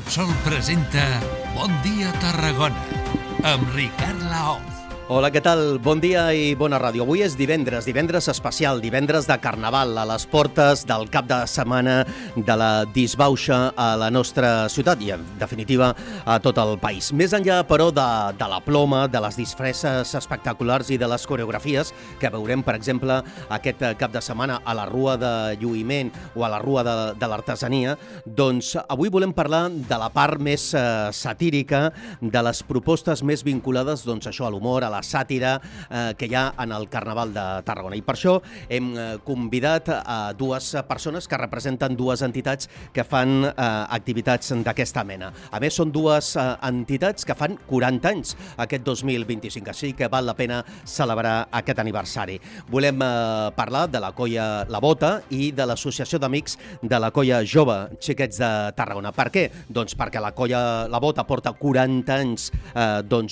Repsol presenta Bon dia Tarragona amb Ricard Laoz. Hola, què tal? Bon dia i bona ràdio. Avui és divendres especial, divendres de Carnaval, a les portes del cap de setmana de la disbauxa a la nostra ciutat i, en definitiva, a tot el país. Més enllà, però, de la ploma, de les disfresses espectaculars i de les coreografies que veurem, per exemple, aquest cap de setmana a la Rua de Lluïment o a la Rua de l'Artesania, doncs avui volem parlar de la part més satírica, de les propostes més vinculades, doncs, això, a l'humor, a la sàtira que hi ha en el Carnaval de Tarragona. I per això hem convidat a dues persones que representen dues entitats que fan activitats d'aquesta mena. A més, són dues entitats que fan 40 anys aquest 2025, així que val la pena celebrar aquest aniversari. Volem parlar de la Colla La Bota i de l'Associació d'Amics de la Colla Jove Xiquets de Tarragona. Per què? Doncs perquè la Colla La Bota porta 40 anys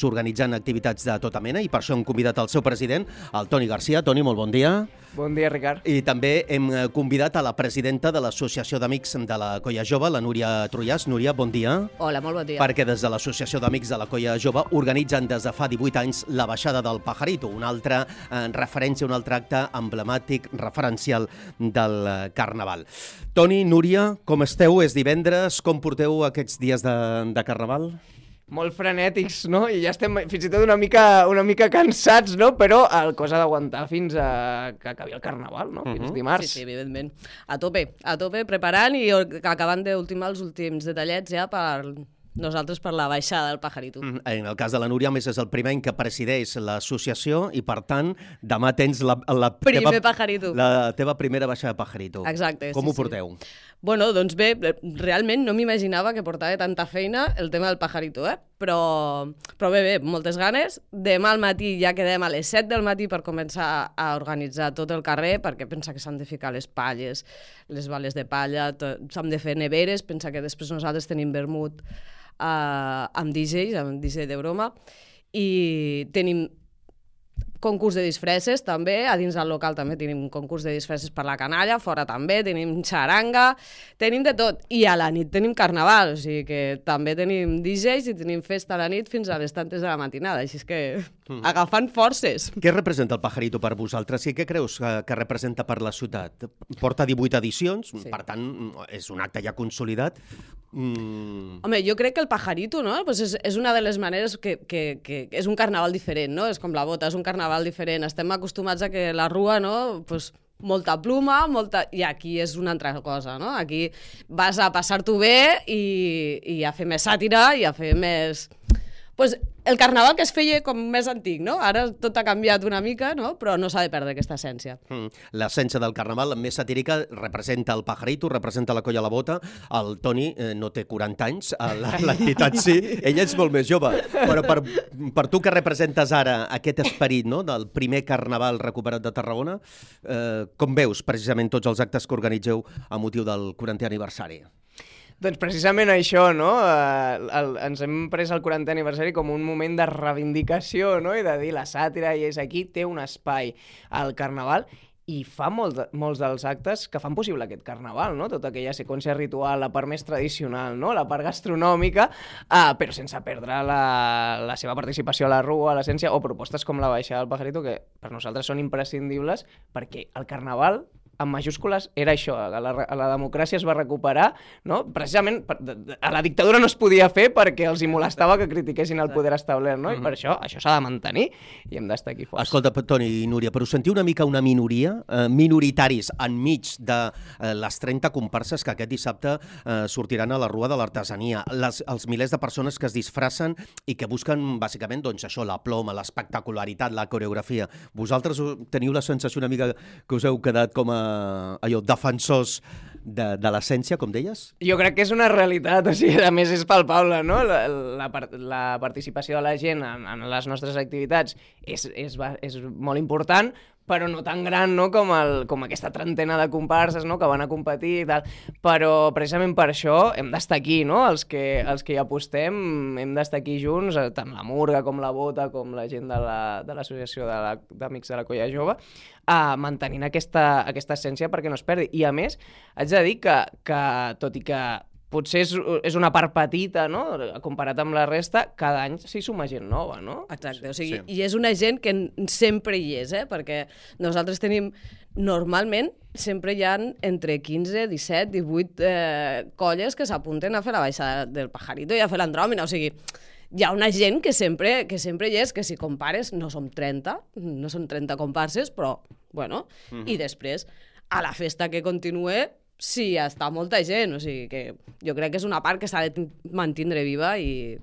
organitzant activitats de tota mena i per això hem convidat el seu president, el Toni Garcia. Toni, molt bon dia. Bon dia, Ricard. I també hem convidat a la presidenta de l'Associació d'Amics de la Colla Jove, la Núria Trullàs. Núria, bon dia. Hola, molt bon dia. Perquè des de l'Associació d'Amics de la Colla Jove organitzen des de fa 18 anys la baixada del Pajarito, una altra referència, un altre acte emblemàtic, referencial del Carnaval. Toni, Núria, com esteu? És divendres. Com porteu aquests dies de Carnaval? Molt frenètics, no? I ja estem fins i tot una mica cansats, no? Però el cosa d'aguantar fins a que acabi el Carnaval, no? Fins dimarts. Sí, evidentment. A tope, preparant i acabant d'ultimar els últims detallets ja per nosaltres per la baixada del Pajarito. En el cas de la Núria, a més, és el primer any que presideix l'associació i, per tant, demà tens la teva primera baixada de Pajarito. Exacte. Com ho porteu? Bueno, doncs bé, realment no m'imaginava que portava tanta feina el tema del Pajarito, però bé, moltes ganes. Demà al matí ja quedem a les 7 del matí per començar a organitzar tot el carrer, perquè pensa que s'han de ficar les palles, les bales de palla, s'han de fer neveres, pensa que després nosaltres tenim vermut amb DJs, amb DJ de broma, i tenim concurs de disfresses també, a dins del local també tenim un concurs de disfresses per la canalla, fora també, tenim xaranga, tenim de tot. I a la nit tenim carnaval, o sigui que també tenim DJs i tenim festa a la nit fins a les tantes de la matinada, així és que agafant forces. Què representa el Pajarito per vosaltres i què creus que representa per la ciutat? Porta 18 edicions, sí. Per tant, és un acte ja consolidat. Home, jo crec que el Pajarito, no? Pues és una de les maneres que és un carnaval diferent, no? És com la Bota, és un carnaval diferent. Estem acostumats a que la Rua, no? Pues molta pluma, i aquí és una altra cosa, no? Aquí vas a passar-t'ho bé i a fer més sàtira i a fer més... Pues el carnaval que es feia com més antic, no? Ara tot ha canviat una mica, no? Però no s'ha de perdre aquesta essència. L'essència del carnaval, més satírica, representa el Pajarito, representa la Colla La Bota. El Toni no té 40 anys, l'entitat sí, ell és molt més jove. Però per tu que representes ara aquest esperit, no?, del primer carnaval recuperat de Tarragona, com veus precisament tots els actes que organitzeu a motiu del 40è aniversari? Doncs precisament això, no? Ens hem pres el 40è aniversari com un moment de reivindicació, no? I de dir la sàtira i és aquí, té un espai al Carnaval i fa molts dels actes que fan possible aquest Carnaval, no? Tota aquella seqüència ritual, la part més tradicional, no? La part gastronòmica, però sense perdre la seva participació a la Rua, a l'essència, o propostes com la baixada del Pajarito, que per nosaltres són imprescindibles perquè el Carnaval amb majúscules era això, a la democràcia es va recuperar, no? Precisament a la dictadura no es podia fer perquè els hi molestava que critiquessin el poder establert, no? I per això s'ha de mantenir i hem d'estar aquí forts. Escolta, Toni i Núria, però us sentiu una mica una minoria, minoritaris enmig de les 30 comparses que aquest dissabte sortiran a la Rua de l'Artesania, els milers de persones que es disfracen i que busquen bàsicament doncs això, la ploma, l'espectacularitat, la coreografia. Vosaltres teniu la sensació una mica que us heu quedat com a defensors de l'essència, com deies? Jo crec que és una realitat, o sigui, a més és palpable, no? La participació de la gent en les nostres activitats és molt important, però no tan gran, no, com aquesta trentena de comparses, no, que van a competir i tal. Però precisament per això hem d'estar aquí, no? Els que hi apostem hem d'estar aquí junts, tant la Murga com la Bota, com la gent de l'associació d'Amics de la Colla Jove, mantenint aquesta essència perquè no es perdi. I a més, haig de dir que tot i que potser és una part petita, no?, comparat amb la resta, cada any s'hi suma gent nova, no? Exacte, o sigui, i és una gent que sempre hi és, perquè nosaltres tenim, normalment, sempre hi ha entre 15, 17, 18 colles que s'apunten a fer la baixada del Pajarito i a fer l'Andròmina, o sigui, hi ha una gent que sempre hi és, que si compares no som 30, no són 30 comparses, però, bueno, i després, a la festa que continue, sí, està molta gent, o sigui que jo crec que és una part que s'ha de mantindre viva i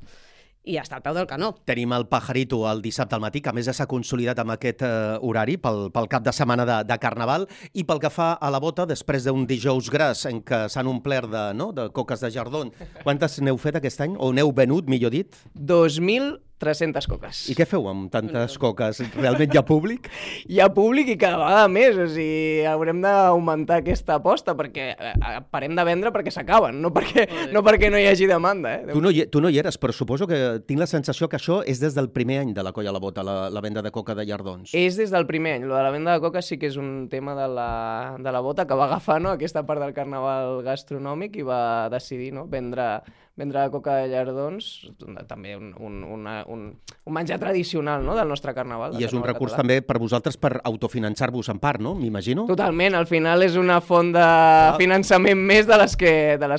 està al peu del canó. Tenim el Pajarito el dissabte al matí, que a més ja s'ha consolidat amb aquest horari pel cap de setmana de Carnaval, i pel que fa a la bota, després d'un dijous gras en què s'han omplert de coques de jardón, quantes n'heu fet aquest any? O n'heu venut, millor dit? 2.300 coques. I què feu amb tantes coques? Realment hi ha públic? Hi ha públic i cada vegada més, o sigui, haurem d'augmentar aquesta aposta perquè parem de vendre perquè s'acaben, no perquè no hi hagi demanda. Tu no hi eres, però suposo que tinc la sensació que això és des del primer any de la Colla la Bota, la venda de coca de llardons. És des del primer any. Lo de la venda de coca sí que és un tema de la Bota que va agafar, no?, aquesta part del carnaval gastronòmic i va decidir, no?, vendre coca de llardons, també un menjar tradicional, no?, del nostre carnaval. I és un recurs també per vosaltres per autofinançar-vos en part, no?, m'imagino? Totalment, al final és una font de finançament més de les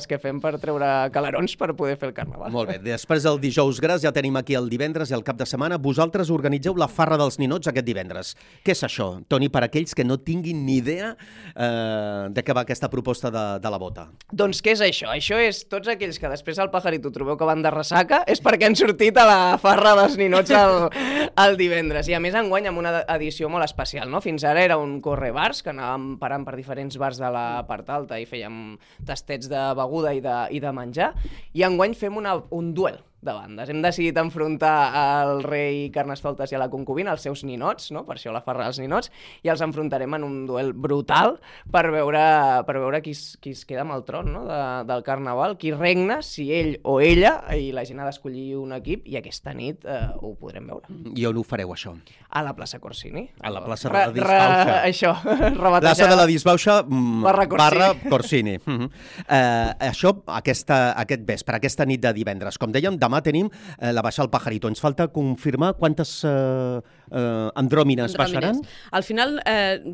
que fem per treure calarons per poder fer el carnaval. Molt bé, després del dijous gras ja tenim aquí el divendres i el cap de setmana. Vosaltres organitzeu la Farra dels Ninots aquest divendres. Què és això, Toni, per aquells que no tinguin ni idea de què va aquesta proposta de la Bota? Doncs què és això? Això és tots aquells que després al Pajarito trobeu que van de ressaca, és perquè han sortit a la Farra dels Ninots el divendres. I a més enguany amb una edició molt especial, no? Fins ara era un correbars, que anàvem parant per diferents bars de la part alta i fèiem tastets de beguda i de menjar, i enguany fem un duel de bandes. Hem decidit enfrontar al rei Carnestoltes i a la concubina, els seus ninots, no?, per això la Farra dels Ninots, i els enfrontarem en un duel brutal per veure qui es queda amb el tron, no?, del carnaval, qui regna, si ell o ella, i la gent ha d'escollir un equip, i aquesta nit ho podrem veure. I on ho fareu, això? A la plaça Corsini. A la plaça de la Disbauxa. Això, rebatejada. Plaça de la Disbauxa barra Corsini. Això, aquest vespre, aquesta nit de divendres, com dèiem, demà tenim la baixada al Pajarito. Ens falta confirmar quantes andròmines baixaran? Al final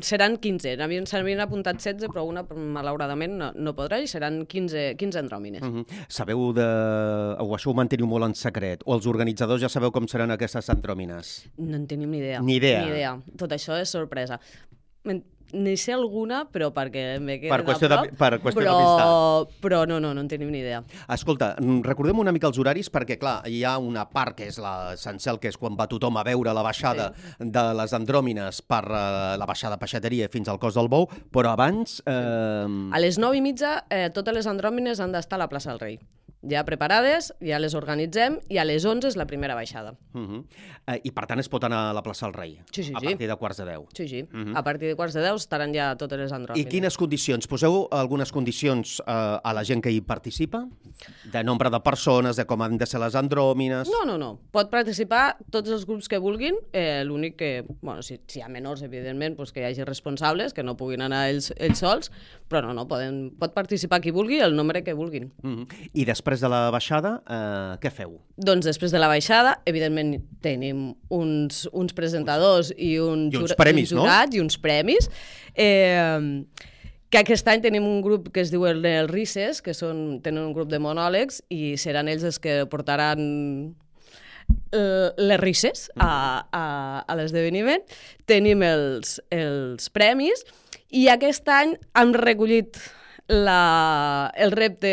seran 15. S'havien apuntat 16, però una, malauradament, no podrà, i seran 15 andròmines. Sabeu o això ho manteniu molt en secret? O els organitzadors ja sabeu com seran aquestes andròmines? No en tenim ni idea. Ni idea. Tot això és sorpresa. N'hi sé alguna, però perquè me queden per qüestió d'amistat. Però no en tenim ni idea. Escolta, recordem una mica els horaris, perquè, clar, hi ha una part que és l'essencial, que és quan va tothom a veure la baixada de les andròmines per la baixada peixateria fins al Cos del Bou, però abans... A les 9:30 totes les andròmines han d'estar a la plaça del Rei. Ja preparades, ja les organitzem, i a les 11 és la primera baixada. I, per tant, es pot anar a la plaça del Rei? Sí. A partir de 9:15. Sí. A partir de 9:15 estaran ja totes les andròmines. I quines condicions? Poseu algunes condicions a la gent que hi participa? De nombre de persones, de com han de ser les andròmines? No. Pot participar tots els grups que vulguin. L'únic que, si hi ha menors, evidentment, que hi hagi responsables, que no puguin anar ells sols, però no, pot participar qui vulgui, el nombre que vulguin. I després de la baixada, què feu? Doncs després de la baixada, evidentment, tenim uns presentadors i un premis, jurat, no? I uns premis. Que aquest any tenim un grup que es diu el Risses, que tenen un grup de monòlegs, i seran ells els que portaran les risses a l'esdeveniment. Tenim els premis, i aquest any hem recollit el repte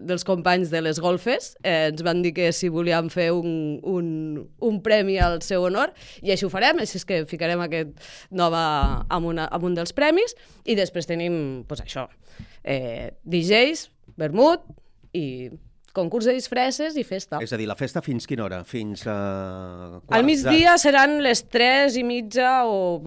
dels companys de les golfes. Ens van dir que si volíem fer un premi al seu honor, i així ho farem, així és que ficarem aquest nom amb un dels premis, i després tenim això, DJs, vermut i concurs de disfresses i festa. És a dir, la festa fins quina hora? Fins al migdia seran les 3:30 o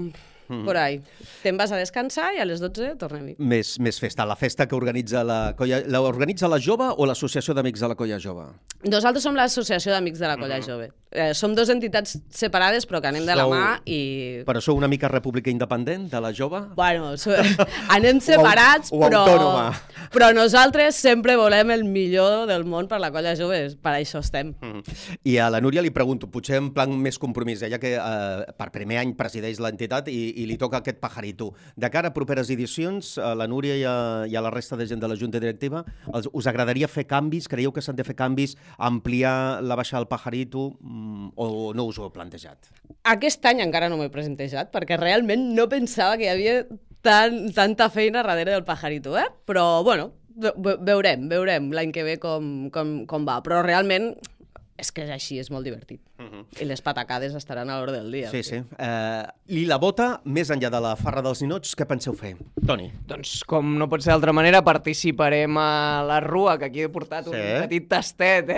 por ahí. Te'n vas a descansar i a les 12 tornem-hi. Més festa. La festa que organitza la colla... L'organitza la jove o l'Associació d'Amics de la Colla Jove? Nosaltres som l'Associació d'Amics de la Colla Jove. Som dues entitats separades però que anem de la mà i... Però sou una mica república independent de la jove? Bueno, anem separats, o autònoma. però nosaltres sempre volem el millor del món per la Colla Jove, per això estem. I a la Núria li pregunto, potser en plan més compromís, ella que per primer any presideix l'entitat i li toca aquest pajarito. De cara a properes edicions, a la Núria i a la resta de gent de la Junta Directiva, us agradaria fer canvis? Creieu que s'han de fer canvis, ampliar la baixada del pajarito, o no us ho heu plantejat? Aquest any encara no m'ho he plantejat, perquè realment no pensava que hi havia tanta feina darrere del pajarito, Però, bueno, veurem l'any que ve com va. Però realment és que és així, és molt divertit. I les patacades estaran a l'hora del dia. Sí, sí. I la bota, més enllà de la farra dels ninots, què penseu fer? Toni. Doncs, com no pot ser d'altra manera, participarem a la Rua, que aquí he portat un petit tastet,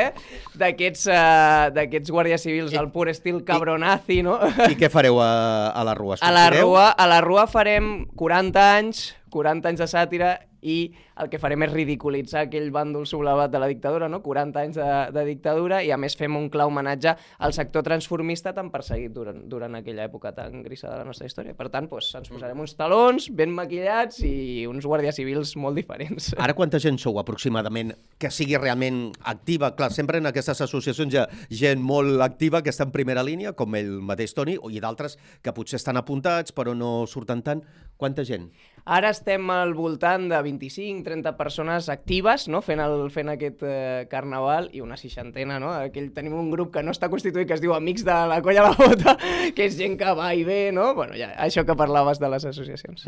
d'aquests guàrdies civils al pur estil cabronazi, no? I què fareu a la Rua? A la Rua farem 40 anys de sàtira i el que farem és ridiculitzar aquell bàndol sublevat de la dictadura, no? 40 anys de dictadura, i a més fem un clar homenatge al sector transformista tan perseguit durant aquella època tan grisa de la nostra història. Per tant, ens posarem uns talons ben maquillats i uns guàrdies civils molt diferents. Ara quanta gent sou aproximadament que sigui realment activa? Clar, sempre en aquestes associacions hi ha gent molt activa que està en primera línia, com el mateix Toni, i d'altres que potser estan apuntats però no surten tant. Quanta gent? Ara estem al voltant de 25-30 persones actives, no? fent aquest carnaval, i una seixantena, no? Tenim un grup que no està constituït, que es diu Amics de la Colla La Bota, que és gent que va i ve, no? Bueno, ja, això que parlaves de les associacions.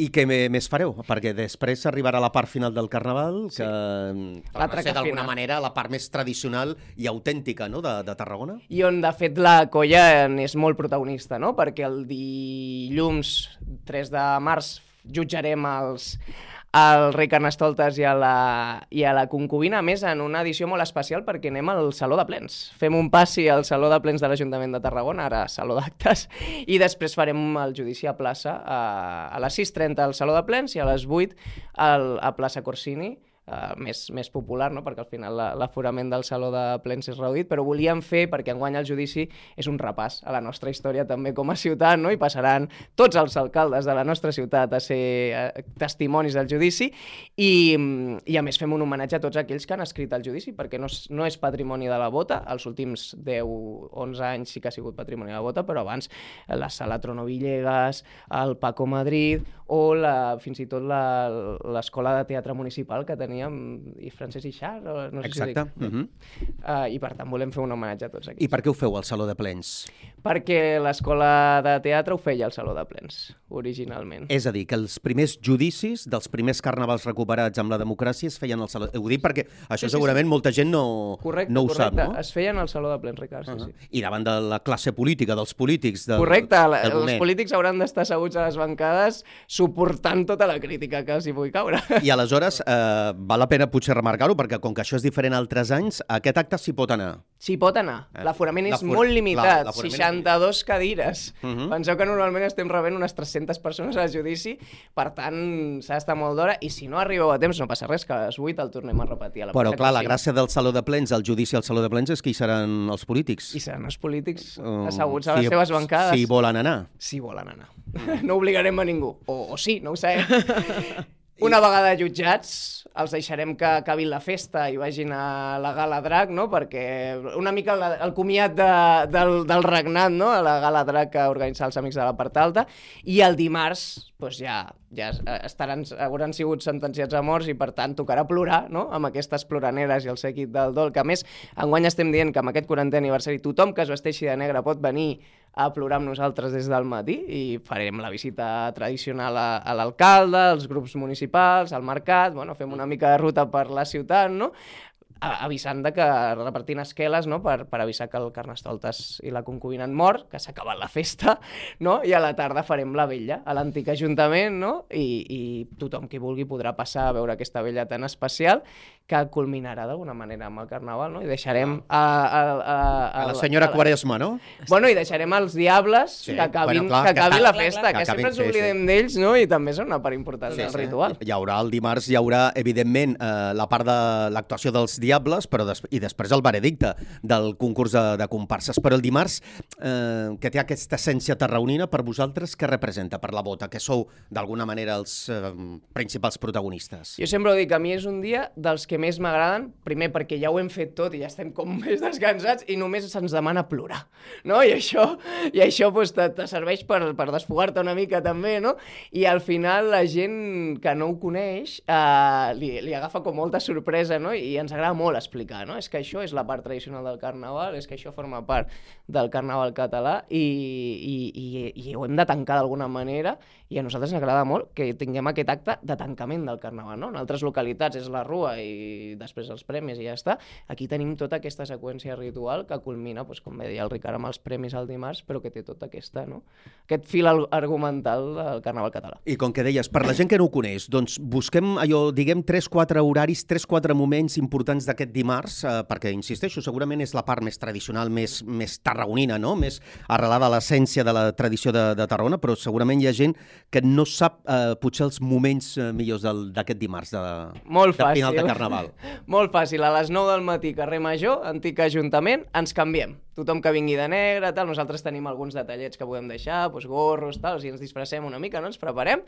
I què més fareu? Perquè després arribarà la part final del carnaval, que va ser d'alguna manera la part més tradicional i autèntica, no? de Tarragona. I on, de fet, la colla és molt protagonista, no? Perquè el dilluns 3 de març jutjarem al rei Carnestoltes i a la concubina, a més en una edició molt especial perquè anem al Saló de Plens. Fem un passi al Saló de Plens de l'Ajuntament de Tarragona, ara Saló d'Actes, i després farem el judici a plaça a les 6:30 al Saló de Plens i a les 8 a plaça Corsini, més popular, no? Perquè al final l'aforament del Saló de Plens és reduït, però volíem fer, perquè enguany el judici és un repàs a la nostra història també com a ciutat, no? I passaran tots els alcaldes de la nostra ciutat a ser testimonis del judici i a més fem un homenatge a tots aquells que han escrit el judici, perquè no és patrimoni de la Bota, els últims 10-11 anys sí que ha sigut patrimoni de la Bota, però abans la Sala Trono Villegas, el Paco Madrid o fins i tot l'Escola de Teatre Municipal que teníem, i Francesc Ixart, no sé Exacte. si dic. I per tant volem fer un homenatge a tots aquests. I per què ho feu al Saló de Plens? Perquè l'Escola de Teatre ho feia al Saló de Plens, originalment. És a dir, que els primers judicis dels primers carnavals recuperats amb la democràcia es feien al Saló... Ho dic perquè això segurament molta gent no ho sap, no? Es feien al Saló de Plens, Ricard, sí. I davant de la classe política, dels polítics del Correcte, del els polítics hauran d'estar asseguts a les bancades suportant tota la crítica que els hi pugui caure. I aleshores val la pena potser remarcar-ho, perquè com que això és diferent a altres anys, aquest acte s'hi pot anar. S'hi pot anar. L'aforament és molt limitat, 62 cadires. Penseu que normalment estem rebent unes 300 persones al judici, per tant s'ha d'estar molt d'hora, i si no arribeu a temps no passa res, que a les 8 el tornem a repetir. Però clar, la gràcia del Saló de Plens, el judici al Saló de Plens, és que hi seran els polítics. I seran els polítics asseguts a les seves bancades. Si volen anar. Si volen anar. No obligarem a ningú. O sí, no ho sabem. Una vegada jutjats, els deixarem que acabin la festa i vagin a la Gala Drac, no? Perquè una mica el comiat del regnat, no? A la Gala Drac que organitza els Amics de la Part Alta, i el dimarts doncs ja hauran sigut sentenciats a morts i per tant tocarà plorar, no? Amb aquestes ploraneres i el séquit del dol, que a més enguany estem dient que amb aquest 40è aniversari tothom que es vesteixi de negre pot venir a plorar amb nosaltres des del matí, i farem la visita tradicional a l'alcalde, als grups municipals, al mercat, bueno, fem una mica de ruta per la ciutat, no? avisant de que repartint esqueles, no? per avisar que el Carnestoltes i la concubina han mort, que s'ha acabat la festa, no? I a la tarda farem la vetlla a l'antic ajuntament, no? I tothom qui vulgui podrà passar a veure aquesta vetlla tan especial que culminarà d'alguna manera amb el Carnaval, no? I deixarem a la senyora Quaresma, no? Bueno, i deixarem els diables que acabi la festa, que sempre ens oblidem d'ells, no? I també són una part important del ritual. El dimarts hi haurà, evidentment, la part de l'actuació dels diables, però i després el veredicte del concurs de comparses. Però el dimarts, que té aquesta essència tarraonina, per vosaltres, què representa per la bota? Que sou, d'alguna manera, els principals protagonistes. Jo sempre ho dic, a mi és un dia dels que més m'agraden, primer perquè ja ho hem fet tot i ja estem com més descansats i només se'ns demana plorar, no? I això pues, te serveix per desfogar-te una mica també, no? I al final la gent que no ho coneix li agafa com molta sorpresa, no? I ens agrada molt explicar, no? És que això és la part tradicional del Carnaval, és que això forma part del Carnaval català i ho hem de tancar d'alguna manera i a nosaltres ens agrada molt que tinguem aquest acte de tancament del Carnaval, no? En altres localitats és la rua i després els premis i ja està. Aquí tenim tota aquesta seqüència ritual que culmina, doncs, com bé deia el Ricard, amb els premis al dimarts, però que té tot aquest fil argumental del Carnaval català. I com que deies, per la gent que no ho coneix, doncs busquem allò, diguem, 3-4 horaris, 3-4 moments importants d'aquest dimarts, perquè, insisteixo, segurament és la part més tradicional, més tarragonina, no? Més arrelada a l'essència de la tradició de Tarragona, però segurament hi ha gent que no sap potser els moments millors d'aquest dimarts de final de Carnaval. Molt fàcil, a les 9 del matí, carrer Major, antic ajuntament, ens canviem. Tothom que vingui de negre, tal, nosaltres tenim alguns detallets que podem deixar, doncs gorros, tal, si ens disfressem una mica, no? Ens preparem,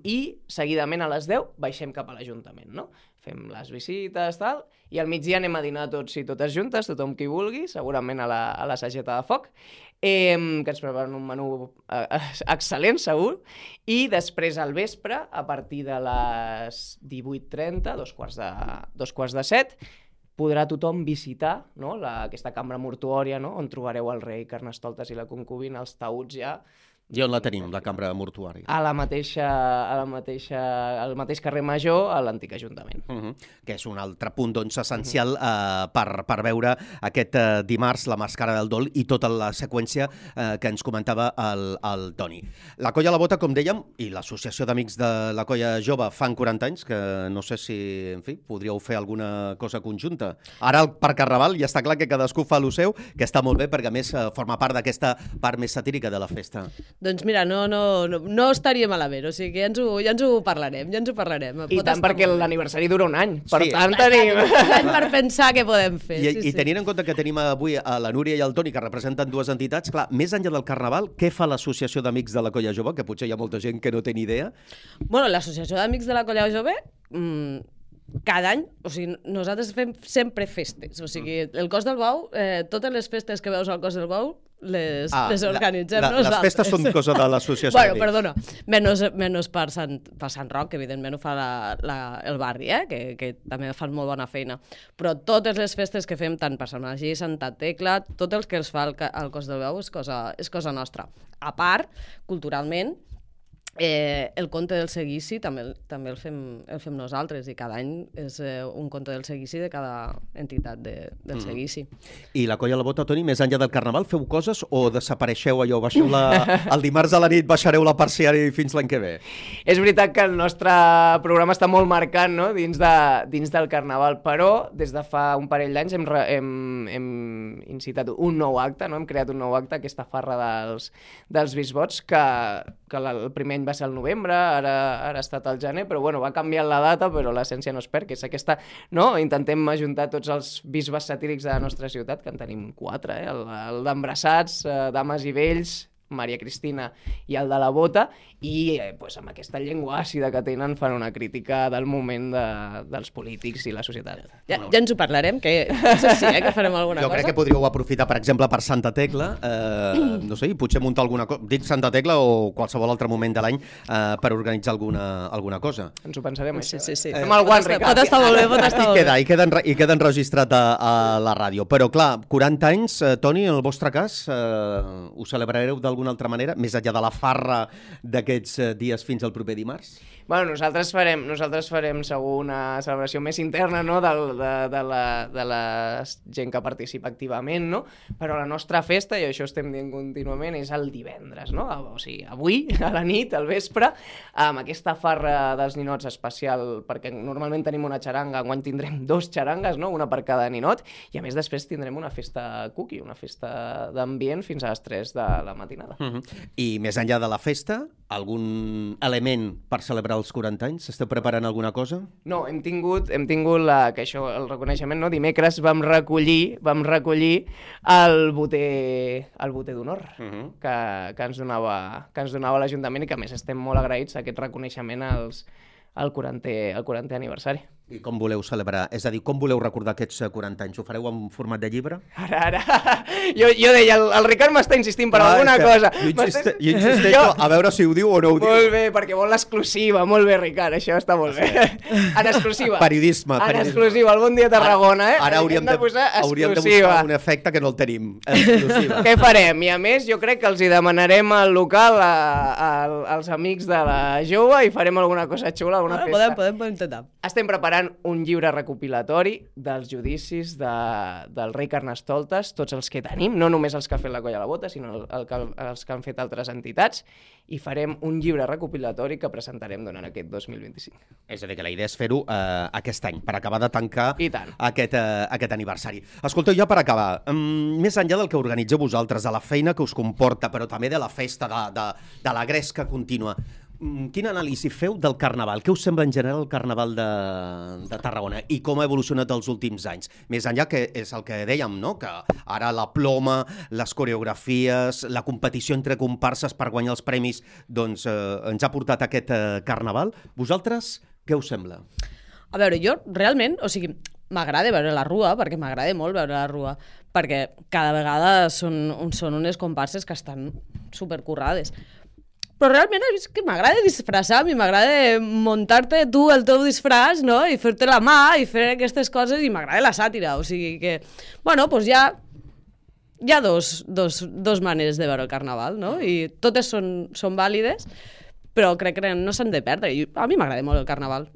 i seguidament a les 10 baixem cap a l'Ajuntament, no? Fem les visites, tal, i al migdia anem a dinar tots i totes juntes, tothom qui vulgui, segurament a la sageta de foc, que ens preparen un menú excel·lent, segur, i després al vespre, a partir de les 18:30, dos quarts de 7, podrà tothom visitar, no? Aquesta cambra mortuòria, no? On trobareu el rei Carnestoltes i la concubina, els taüts ja. I on la tenim, la cambra mortuària? Al mateix carrer Major, a l'antic ajuntament. Que és un altre punt, doncs, essencial per veure aquest dimarts la Mascara del Dol i tota la seqüència que ens comentava el Toni. La Colla La Bota, com dèiem, i l'Associació d'Amics de la Colla Jove fan 40 anys, que no sé si, en fi, podríeu fer alguna cosa conjunta. Ara el Parc Carnaval ja està clar que cadascú fa el seu, que està molt bé perquè a més forma part d'aquesta part més satírica de la festa. Doncs mira, no estaria malament, o sigui que ja ens ho parlarem. I tant perquè l'aniversari dura un any, per tant tenim... per pensar què podem fer. I tenint en compte que tenim avui a la Núria i el Toni, que representen dues entitats, clar, més enllà del Carnaval, què fa l'Associació d'Amics de la Colla Jove, que potser hi ha molta gent que no té ni idea? Bueno, l'Associació d'Amics de la Colla Jove... cada any, o sigui, nosaltres fem sempre festes, o sigui, el Cos del Bou, totes les festes que veus al Cos del Bou les organitzem nosaltres. Les festes són cosa de l'associació. Bueno, perdona, menys per Sant Roc, que evidentment ho fa el barri, que també fan molt bona feina, però totes les festes que fem, tant per Sant Magí, Santa Tecla, tot el que els fa al Cos del Bou és cosa nostra. A part, culturalment, el conte del seguici també el fem nosaltres i cada any és un conte del seguici de cada entitat del seguici. I la Colla La Bota, Toni, més enllà del Carnaval, feu coses o desapareixeu allò? El dimarts a la nit baixareu la persiana i fins l'any que ve? És veritat que el nostre programa està molt marcat, no? dins del Carnaval, però des de fa un parell d'anys hem incitat un nou acte, no? Hem creat un nou acte, aquesta farra dels bisbots, que el primer any va ser al novembre, ara ha estat al gener, però bueno, va canviant la data, però l'essència no es perd, que és aquesta, no? Intentem ajuntar tots els bisbes satírics de la nostra ciutat, que en tenim 4, el d'Embrassats, Dames i Vells, Maria Cristina i el de la Bota, i amb aquesta llengua àcida que tenen fan una crítica del moment dels polítics i la societat. Ja ens ho parlarem, que no sé si que farem alguna cosa. Jo crec que podríeu aprofitar, per exemple, per Santa Tecla, no sé, potser muntar alguna cosa, dic Santa Tecla o qualsevol altre moment de l'any per organitzar alguna cosa. Ens ho pensarem, això. Sí. Fem el guant, Ricard. Pot estar molt bé, I queda enregistrat a la ràdio. Però clar, 40 anys, Toni, en el vostre cas, ho celebrareu d'alguna altra manera, més enllà de la farra d'aquests dies fins al proper dimarts? Bueno, nosaltres farem segur una celebració més interna, no?, de la gent que participa activament, no? Però la nostra festa, i això estem dient contínuament, és el divendres, no? O sigui, avui, a la nit, al vespre, amb aquesta farra dels ninots especial, perquè normalment tenim una xaranga, enguany tindrem 2 xarangues, no?, una per cada ninot, i a més després tindrem una festa cookie, una festa d'ambient fins a les 3 de la matinada. I més enllà de la festa, algun element per celebrar els 40 anys? Esteu preparant alguna cosa? No, hem tingut que això, el reconeixement, no? Dimecres vam recollir el boter d'honor que ens donava l'Ajuntament i que a més estem molt agraïts a aquest reconeixement al 40è aniversari. I com voleu celebrar? És a dir, com voleu recordar aquests 40 anys? Ho fareu en format de llibre? Ara. Jo deia, el Ricard m'està insistint per alguna cosa. Jo insisteixo a veure si ho diu o no ho diu. Molt bé, perquè vol l'exclusiva. Molt bé, Ricard, això està molt bé. En exclusiva. Periodisme. En exclusiva, el Bon Dia Tarragona, eh? Ara hauríem de buscar un efecte que no el tenim. Exclusiva. Què farem? I a més, jo crec que els hi demanarem al local als amics de la jove i farem alguna cosa xula, alguna festa. Podem intentar. Estem preparant un llibre recopilatori dels judicis del rei Carnestoltes, tots els que tenim, no només els que ha fet la Colla a la Bota, sinó els que han fet altres entitats, i farem un llibre recopilatori que presentarem durant aquest 2025. És a dir, que la idea és fer-ho aquest any, per acabar de tancar aquest aniversari. Escolteu, ja per acabar, més enllà del que organitzeu vosaltres, de la feina que us comporta, però també de la festa, de la gresca contínua, quina anàlisi feu del Carnaval? Què us sembla en general el Carnaval de Tarragona i com ha evolucionat els últims anys? Més enllà, que és el que dèiem, no?, que ara la ploma, les coreografies, la competició entre comparses per guanyar els premis, doncs ens ha portat aquest Carnaval. Vosaltres, què us sembla? A veure, jo realment, o sigui, m'agrada veure la Rua, perquè m'agrada molt veure la Rua, perquè cada vegada són unes comparses que estan supercurrades. Però realment és que m'agrada disfressar, a mi m'agrada muntar-te tu el teu disfraç, no?, i fer-te la mà i fer aquestes coses, i m'agrada la sàtira, o sigui que, bueno, doncs hi ha dos maneres de veure el Carnaval, no?, i totes són vàlides, però crec que no s'han de perdre, i a mi m'agrada molt el Carnaval.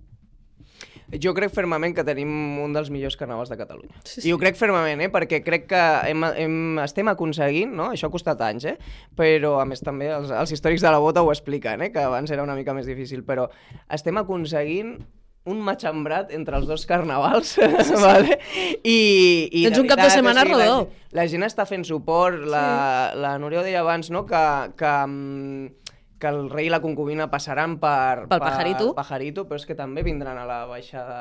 Jo crec fermament que tenim un dels millors carnavals de Catalunya. Sí. I ho crec fermament, perquè crec que estem aconseguint, no? Això ha costat anys, però a més també els històrics de la Bota ho expliquen, que abans era una mica més difícil, però estem aconseguint un matxembrat entre els dos carnavals, vale? I tens un cap de setmana rodó. La gent està fent suport, la Núria ho deia abans, no?, que el rei i la concubina passaran per Pajarito, però és que també vindran a la baixada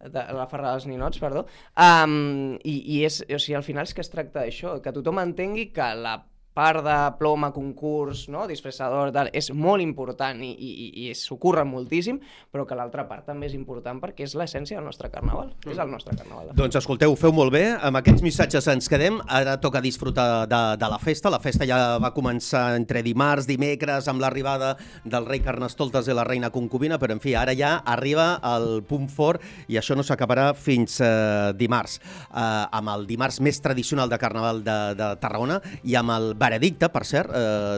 a la farra dels ninots, perdó. I és, o sigui, al final és que es tracta d'això, que tothom entengui que la part de ploma, concurs, no?, disfressador, tal, és molt important i s'ho curren moltíssim, però que l'altra part també és important perquè és l'essència del nostre carnaval. És el nostre carnaval. Doncs escolteu, ho feu molt bé. Amb aquests missatges ens quedem. Ara toca disfrutar de la festa. La festa ja va començar entre dimarts, dimecres, amb l'arribada del rei Carnestoltes i la reina concubina, però en fi, ara ja arriba el punt fort i això no s'acabarà fins dimarts. Amb el dimarts més tradicional de Carnaval de Tarragona i amb el veredicte, per cert,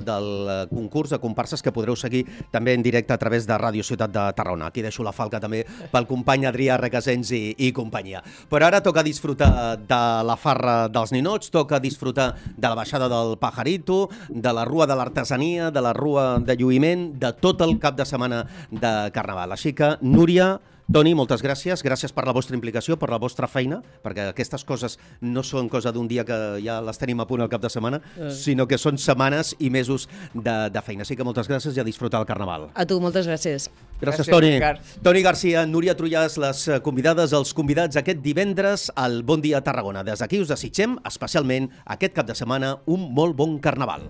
del concurs de comparses que podreu seguir també en directe a través de Ràdio Ciutat de Tarragona. Aquí deixo la falca també pel company Adrià Requesens i companyia. Però ara toca disfrutar de la farra dels ninots, toca disfrutar de la baixada del Pajarito, de la Rua de l'Artesania, de la Rua de Lluïment, de tot el cap de setmana de Carnaval. Així que, Núria, Toni, moltes gràcies. Gràcies per la vostra implicació, per la vostra feina, perquè aquestes coses no són cosa d'un dia que ja les tenim a punt al cap de setmana, sinó que són setmanes i mesos de feina. Així que moltes gràcies i a disfrutar el Carnaval. A tu, moltes gràcies. Gràcies, Toni. Toni Garcia, Núria Trullàs, les convidades, els convidats aquest divendres al Bon Dia Tarragona. Des d'aquí us desitgem, especialment aquest cap de setmana, un molt bon Carnaval.